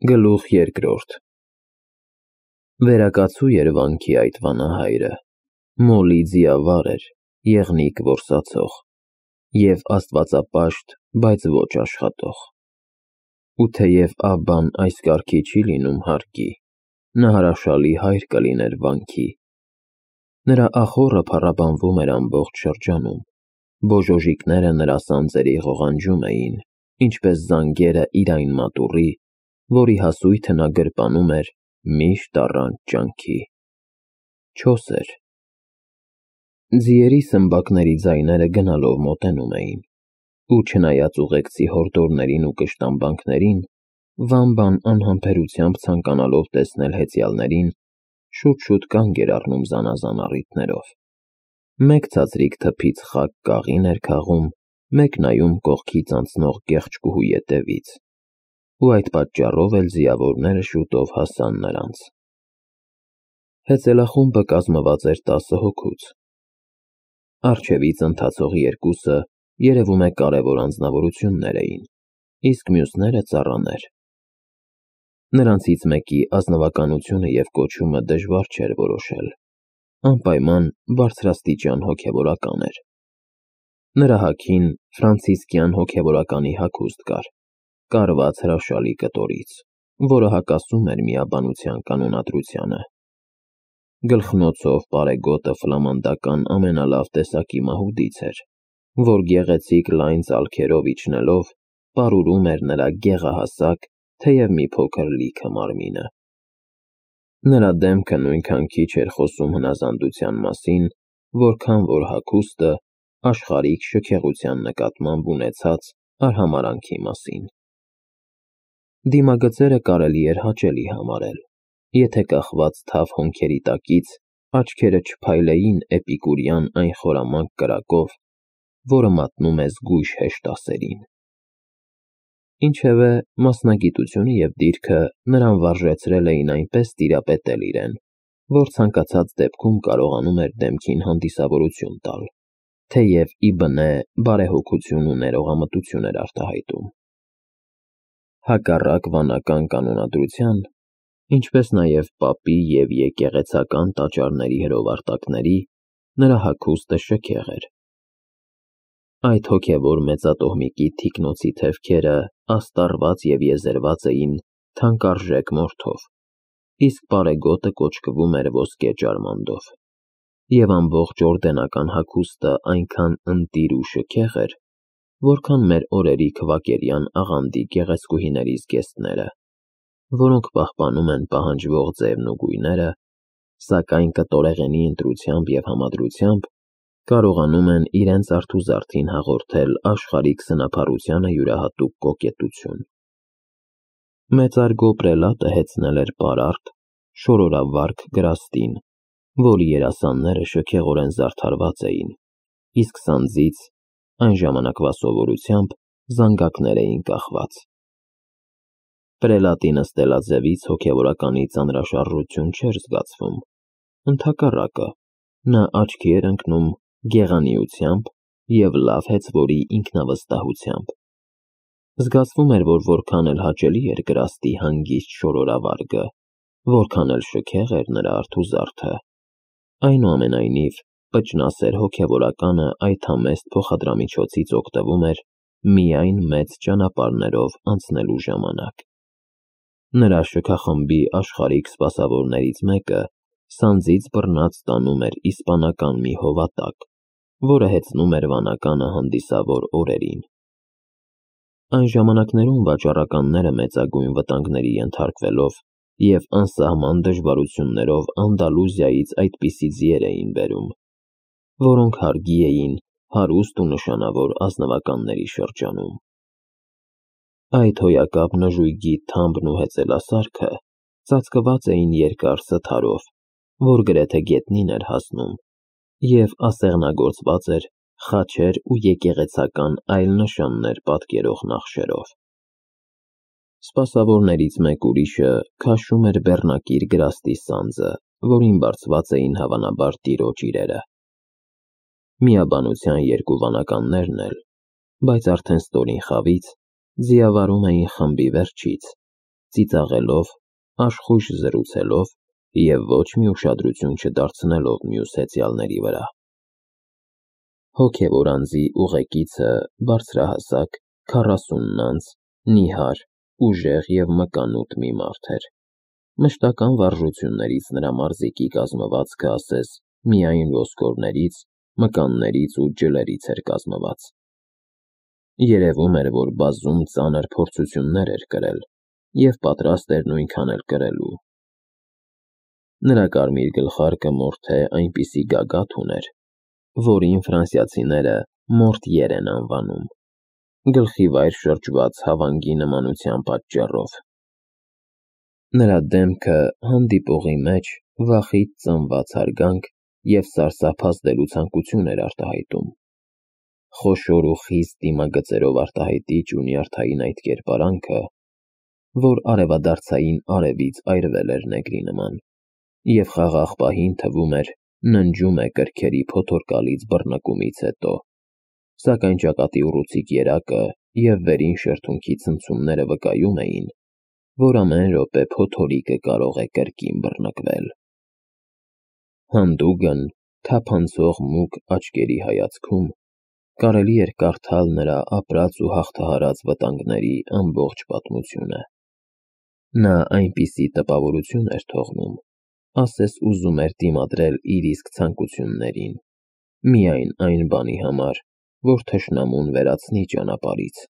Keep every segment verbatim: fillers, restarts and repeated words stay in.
Գլուխ երկրորդ Վերակացու էր վանքի այդ վանահայրը, մոլի ձիավար էր, եղնիկ որսացող, և աստվածապաշտ, բայց ոչ աշխատող, ու թեև Աբբան այս կարգի չի լինում հարկի, նա հրաշալի հայր կլիներ վանքի, նրա ախոռը փառաբանվում էր ամբողջ շրջանում, բոժոժիկները նրա սանձերի ղողանջում էին, ինչպես զանգերը իր այն մատուռի, որի հասույթը նա գրպանում էր միշտ առանց ջանքի, չոս էր, ձիերի սմբակների ձայները գնալով մոտենում էին, ու չնայած ուղեկցի հորդորներին ու կշտամբանքներին, Վամբան անհամբերությամբ ցանկանալով տեսնել հեծյալներին, շուտ-շուտ կանգ էր առնում զանազան առիթներով, մեկ ցածրիկ թփից խակ կաղին էր քաղում, մեկ նայում կողքից անցնող կեղճկուհու ետևից, ու այդ պատճառով էլ ձիավորները շուտով հասան նրանց. Հեծելախումբը կազմված էր տասը հոգուց, առջևից ընթացող երկուսը երևում է կարևոր անձնավորություններ էին, իսկ մյուսները ծառաներ, նրանցից մեկի ազնվականությունը և կոչումը դժվար չէր որոշել, անպայման բարձրաստիճան հոգևորական էր, նրա հագին ֆրանցիսկյան հոգևորականի հագուստ կար, կարված հրաշալի կտորից, որը հակասում էր միաբանության կանոնադրությանը, գլխնոցով պարեգոտը ֆլամանդական ամենալավ տեսակի մահուդից էր, որ գեղեցիկ լայն ծալքերով իջնելով, պարուրում էր նրա գեղահասակ, թեև մի փոքր լիքը մարմինը, նրա դեմքը նույնքան քիչ էր խոսում հնազանդության մասին, որքան որ հագուստը աշխարհիկ շքեղության նկատմամբ ունեցած արհամարհանքի մասին, դիմագծերը կարելի էր հաճելի համարել, եթե կախված թավ հոնքերի տակից աչքերը չփայլեին էպիկուրյան այն խորամանկ կրակով, որը մատնում է զգույշ հեշտասերին, ինչևէ մասնագիտությունը և դիրքը նրան վարժեցրել էին այնպես տիրապետել իրեն, որ ցանկացած դեպքում կարողանում էր դեմքին հանդիսավորություն տալ, թեև ի բնե բարեհոգություն ու ներողամտություն էր արտահայտում, հակառակ վանական կանոնադրության, ինչպես նաև պապի և եկեղեցական տաճարների հրովարտակների, նրա հագուստը շքեղ էր, այդ հոգևոր մեծատոհմիկի թիկնոցի թևքերը աստառված և եզերված էին թանկարժեք մորթով, իսկ պարեգոտը կոճկվում էր ոսկե ջարմանդով, և ամբողջ օրդենական հագուստը այնքան ընտիր ու շքեղ էր, որքան մեր օրերի քվակերյան աղանդի գեղեցկուհիների զգեստները, որոնք պահպանում են պահանջվող ձևն ու գույները, սակայն կտորեղենի ընտրությամբ և համադրությամբ կարողանում են իրենց արթուզարդին հաղորդել աշխարհիկ սնափառությանը յուրահատուկ կոկետություն, մեծարգո պրելատը հեծնել էր պարարտ, շորորավարք գրաստին, որի երասանները շքեղորեն զարդարված էին, իսկ սանձից, այն ժամանակվա սովորությամբ, զանգակներ էին կախված, պրելատի նստելաձևից հոգևորականի ծանրաշարժություն չէր զգացվում, ընդհակառակը, նա աչքի էր ընկնում գեղանիությամբ և լավ հեծվորի ինքնավստահությամբ, զգացվում էր, որ որքան էլ հաճելի էր գրաստի հանգիստ շորորավարգը, որքան էլ շքեղ էր նրա արթուզարդը, այնուամենայնիվ պճնասեր հոգևորականը այդ համեստ փոխադրամիջոցից օգտվում էր միայն մեծ ճանապարհներով անցնելու ժամանակ, նրա շքախմբի աշխարհիկ սպասավորներից մեկը սանձից բռնած տանում էր իսպանական մի հովատակ, որը հեծնում էր վանականը հանդիսավոր օրերին, այն ժամանակներում վաճառականները մեծագույն վտանգների ենթարկվելով և անսահման դժվարություններով Անդալուզիայից այդպիսի ձիեր էին բերում, որոնք հարգի էին հարուստ ու նշանավոր ազնվականների շրջանում, այդ հոյակապ նժույգի թամբն ու հեծելասարքը ծածկված էին երկար սթարով, որ գրեթե գետնին էր հասնում, և ասեղնագործված էր խաչեր ու եկեղեցական այլ նշաններ պատկերող նախշերով, սպասավորներից մեկ ուրիշը քաշում էր բեռնակիր գրաստի սանձը, որին բարձված էին հավանաբար տիրոջ իրերը, միաբանության երկու վանականներն էլ, բայց արդեն ստորին խավից, ձիավարում էին խմբի վերջից, ծիծաղելով, աշխույժ զրուցելով և ոչ մի ուշադրություն չդարձնելով մյուս հեծյալների վրա։ Հոգևոր անձի ուղեկիցը բարձրահասակ, քառասունն անց, նիհար, ուժեղ և մկանուտ մի մարդ էր։ Մշտական վարժություններից նրա մարզիկի կազմվածքը ասես միայն ոսկորներից, մկաններից ու ջլերից էր կազմված։ Երևում էր, որ բազում ծանր փորձություններ էր կրել և պատրաստ էր նույնքան էլ կրելու։ Նրա կարմիր գլխարկը մորթե այնպիսի գագաթ ուներ, որին ֆրանսիացիները մորտիեր են անվանում, գլխի վայր շրջված հավանգի նմանության պատճառով։ Նրա դեմքը հանդիպողի մեջ վախից ծնված հարգանք և սարսափազդելու ցանկություն էր արտահայտում։ Խոշոր ու խիստ դիմագծերով արտահայտիչ ու նյարդային այդ կերպարանքը, որ արևադարձային արևից այրվել էր նեգրի նման, և խաղաղ պահին թվում էր ննջում է կրքերի փոթորկալից բռնկումից հետո, սակայն ճակատի ուռուցիկ երակը և վերին շրթունքի ցնցումները վկայում էին, որ ամեն րոպե փոթորիկը կարող է կրկին բռնկվել։ Հանդուգն, թափանցող մուգ աչքերի հայացքում կարելի էր կարդալ նրա ապրած ու հաղթահարած վտանգների ամբողջ պատմությունը։ Նա այնպիսի տպավորություն էր թողնում, ասես ուզում էր դիմադրել իր իսկ ցանկություններին, միայն այն բանի համար, որ թշնամուն վերացնի ճանապարհից,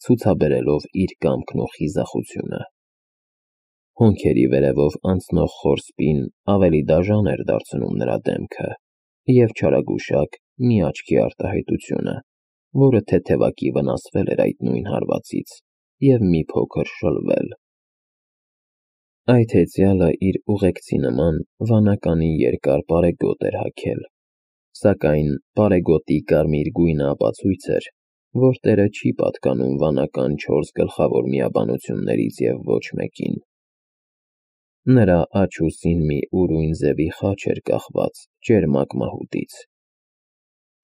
ցուցաբերելով իր կամքն ու խիզախությունը։ Հոնքերի վերևով անցնող խոր սպին ավելի դաժան էր դարձնում նրա դեմքը և չարագուշակ մի աչքի արտահայտությունը, որը թեթևակի վնասվել էր այդ նույն հարվածից և մի փոքր շլվել։ Այդ հեծյալը իր ուղեկցի նման վանականի երկար պարեգոտ էր հագել, սակայն պարեգոտի կարմիր գույնը ապացույց էր, որ տերը չի պատկանում վանական չորս գլխավոր միաբանություններից և ոչ մեկին։ Նրա աջ ուսին մի ուրույն ձևի խաչ էր կախված ճերմակ մահուդից։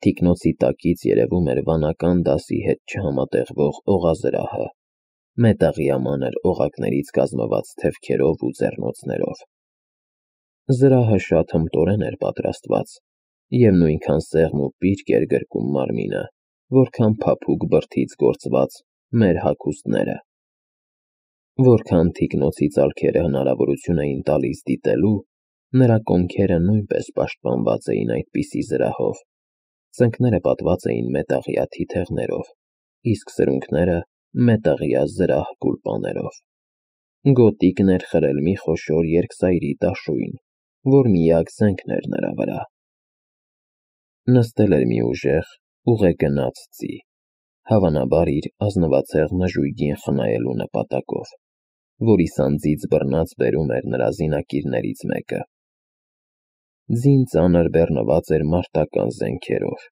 Թիկնոցի տակից երևում էր վանական դասի հետ չհամատեղվող օղազրահը, մետաղյա մանր օղակներից կազմված թևքերով ու ձեռնոցներով։ Զրահը շատ հմտորեն էր պատրաստված և նույնքան սեղմ ու պիրկ էր գրկում մարմինը, որքան փափուկ բրդից գործված մեր հագուստները։ Որքան թիկնոցի ծալքերը հնարավորություն էին տալիս դիտելու, նրա կոնքերը նույնպես պաշտպանված էին այդպիսի զրահով, ծնկները պատված էին մետաղյա թիթեղներով, իսկ սրունքները մետաղյա զրահ գուլպաներով։ Գոտիկն էր խրել մի խոշոր երկսայրի դաշույն, որ միակ զենքն էր նրա վրա։ Նստել էր մի ուժեղ, ուղեգնաց ձի, հավանաբար իր ազնվացեղ նժույգին խնայելու նպատակով, որի սանձից բռնած բերում էր նրա զինակիրներից մեկը։ Ձին ծանր բեռնված էր մարտական զենքերով։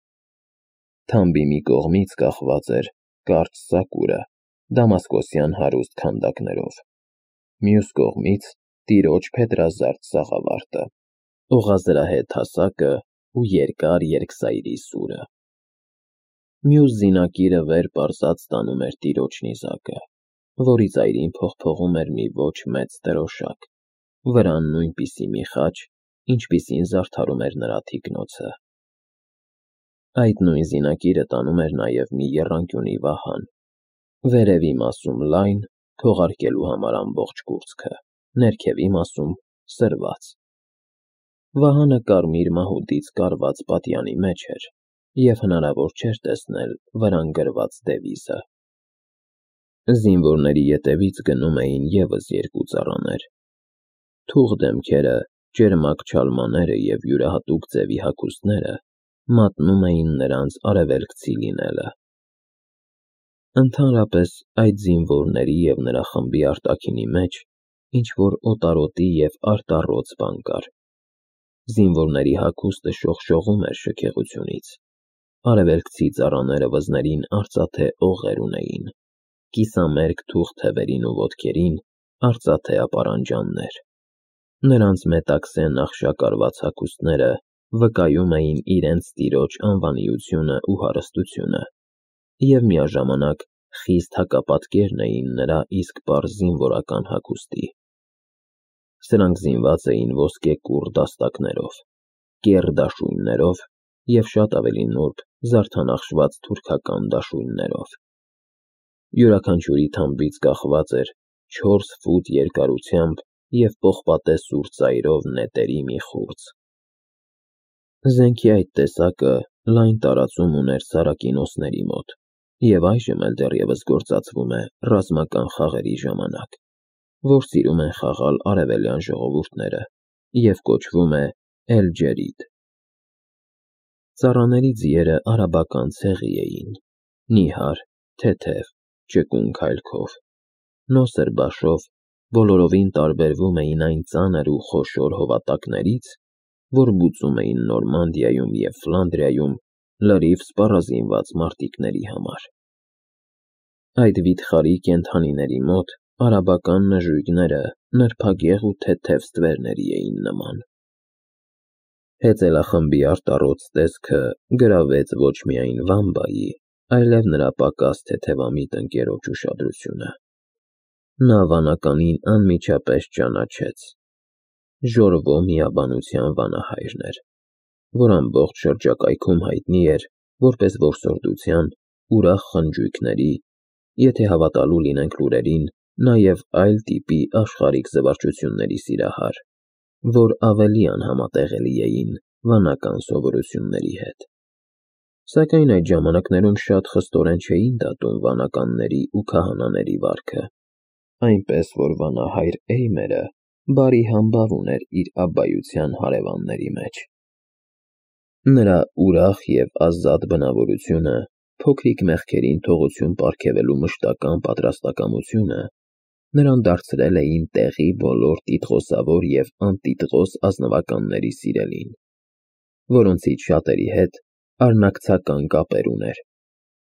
Թամբի մի կողմից կախված էր կարճ սակուրը դամասկոսյան հարուստ քանդակներով, մյուս կողմից տիրոջ փետրազարդ սաղավարտը, օղազրահե թասակը ու երկար երկսայրի սուրը։ Մյուս զինակիրը վեր պարզած տանում էր տիրոջ նիզակը, որի ծայրին փողփողում էր մի ոչ մեծ դրոշակ, վրան նույնպիսի մի խաչ, ինչպիսին զարդարում էր նրա թիկնոցը։ Այդ նույն զինակիրը տանում էր նաև մի եռանկյունի վահան, վերևի մասում լայն, քողարկելու համար ամբողջ կուրծքը, ներքևի մասում սրված։ Վահանը կարմիր մահուդից կարված պատյանի մեջ էր, և հնարավոր չէր տեսնել վրան գրված դևիզը։ Զինվորների ետևից գնում էին ևս երկու ծառաներ։ Թուղ դեմքերը, ճերմակ չալմաները և յուրահատուկ ձևի հագուստները մատնում էին նրանց արևելքցի լինելը։ Ընդհանրապես այդ զինվորների և նրա խմբի արտաքինի մեջ ինչ-որ օտարոտի և արտառոց բան կար։ Զինվորների հագուստը շողշողում էր շքեղությունից։ Արևելքցի ծառաները վզներին արծաթե օղեր ունեին, կիսամերկ թուղ թևերին ու ոտքերին արծաթե ապարանջաններ։ Նրանց մետաքսե նախշակարված հագուստները վկայում էին իրենց տիրոջ անվանիությունը ու հարստությունը և միաժամանակ խիստ հակապատկերն էին նրա իսկ պարզ զինվորական հագուստի։ Սրանք զինված էին ոսկե կուռ դաստակներով, կեռ դաշույններով և շատ ավելի նուրբ զարդանախշված թուրքական դաշույններով։ Յուրաքանչյուրի թամբից կախված էր չորս ֆուտ երկարությամբ և պողպատե սուր ծայրով նետերի մի խուրձ։ Զենքի այդ տեսակը լայն տարածում ուներ սարակինոսների մոտ և այժմ էլ դեռևս գործածվում է ռազմական խաղերի ժամանակ, որ սիրում են խաղալ արևելյան ժողովուրդները և կոչվում է էլ-ջերիդ։ Ծառաների ձիերը արաբական ցեղի էին, նիհար, թեթև, ճկուն քայլքով, նոսր բաշով բոլորովին տարբերվում էին այն ծանր ու խոշոր հովատակներից, որ բուծում էին Նորմանդիայում և Ֆլանդրիայում լրիվ սպառազինված մարտիկների համար։ Այդ վիթխարի կենդանիների մոտ արաբական նժույգները նրբագեղ ու թեթև ստվերների էին նման։ Հեծելախմբի արտառոց տեսքը գրավեց ոչ միայն Վամբայի, այլև նրա պակաս թեթևամիտ ընկերոջ ուշադրությունը։ Նա վանականին անմիջապես ճանաչեց. Ժորվո միաբանության վանահայրն էր, որ ամբողջ շրջակայքում հայտնի էր որպես որսորդության, ուրախ խնջույքների, եթե հավատալու լինենք լուրերին, նաև այլ տիպի աշխարհիկ զվարճությունների սիրահար, որ ավելի անհամատեղելի էին վանական սովորությունների հետ։ Սակայն այդ ժամանակներում շատ խստորեն չէին դատում վանականների ու քահանաների վարքը, այնպես որ վանահայր Էյմերը բարի համբավ ուներ իր աբբայության հարևանների մեջ։ Նրա ուրախ և ազատ բնավորությունը, փոքրիկ մեղքերին թողություն պարգևելու մշտական պատրաստակամությունը նրան դարձրել էին տեղի բոլոր տիտղոսավոր և անտիտղոս ազնվականների սիրելին, որոնցից շատերի հետ արնակցական կապեր ուներ,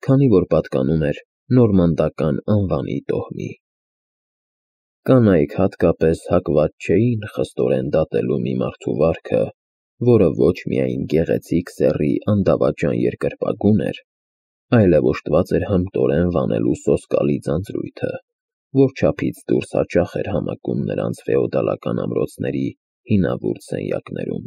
քանի որ պատկանում էր նորմանդական անվանի տոհմի։ Կանայք հատկապես հակված չէին խստորեն դատելու մի մարդու վարքը, որը ոչ միայն գեղեցիկ սեռի անդավաճան երկրպագուն էր, այլև օժտված էր հմտորեն վանելու սոսկալի ձանձրույթը, որ չափից դուրս հաճախ էր համակում նրանց ֆեոդալական ամրոցների հինավուրց սենյակներում։